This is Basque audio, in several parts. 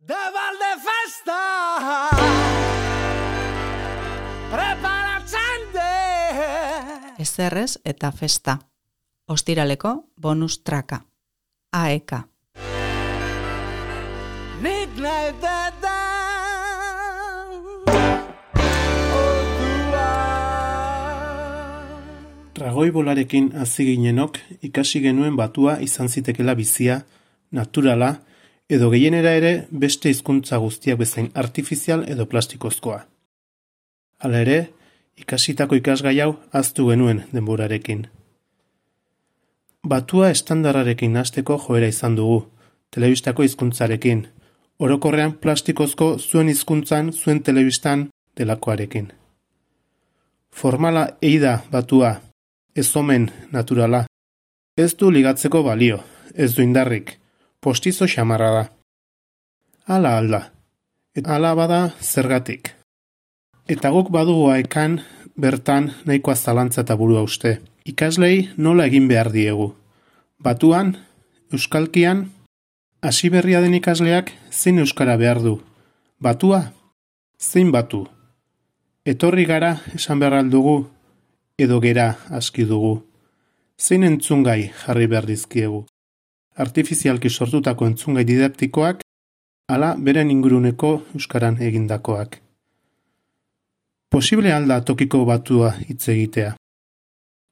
De Valdefesta preparatzen de Ezerrez eta festa. Ostiraleko bonus traka. AEK. Nik nahi deda Ragoi bolarekin hasi ginenok ikasi genuen batua izan zitekela bizia, naturala, edo gehienera ere beste hizkuntza guztiak bezain artifizial edo plastikozkoa. Hala ere, ikasitako ikasgai hau ahaztu genuen denborarekin. Batua estandarrarekin hasteko joera izan dugu, telebistako hizkuntzarekin, orokorrean plastikozko zuen hizkuntzan, zuen telebistan delakoarekin. Formala eida batua, ez omen naturala. Ez du ligatzeko balio, ez du indarrik, postizo xamarra da. Hala alda, eta hala bada zergatik. Eta guk badugu AEKan bertan nahikoa zalantza eta burua uste. Ikaslei nola egin behar diegu. Batuan, euskalkian, hasi berria den ikasleak zein euskara behar du. Batua, zein batu. Etorri gara esan behar aldugu, edo gera aski dugu. Zein entzungai jarri behar dizkiegu. Artifizialki sortutako entzungai didaktikoak, ala beren inguruneko euskaran egindakoak. Posible alda tokiko batua hitz egitea.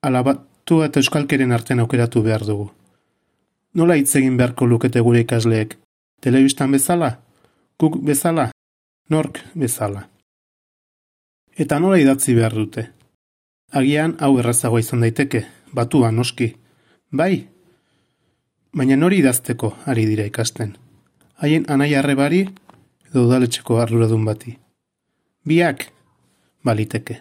Ala batua eta euskalkeren artean aukeratu behar dugu. Nola hitz egin beharko lukete gure ikasleek? Telebistan bezala? Guk bezala? Nork bezala? Eta nola idatzi behar dute? Agian hau errazagoa izan daiteke, batua noski. Bai, baina nori idazteko ari dira ikasten. Haien anaia arrebari edo udaletxeko arduradun bati. Biak, baliteke.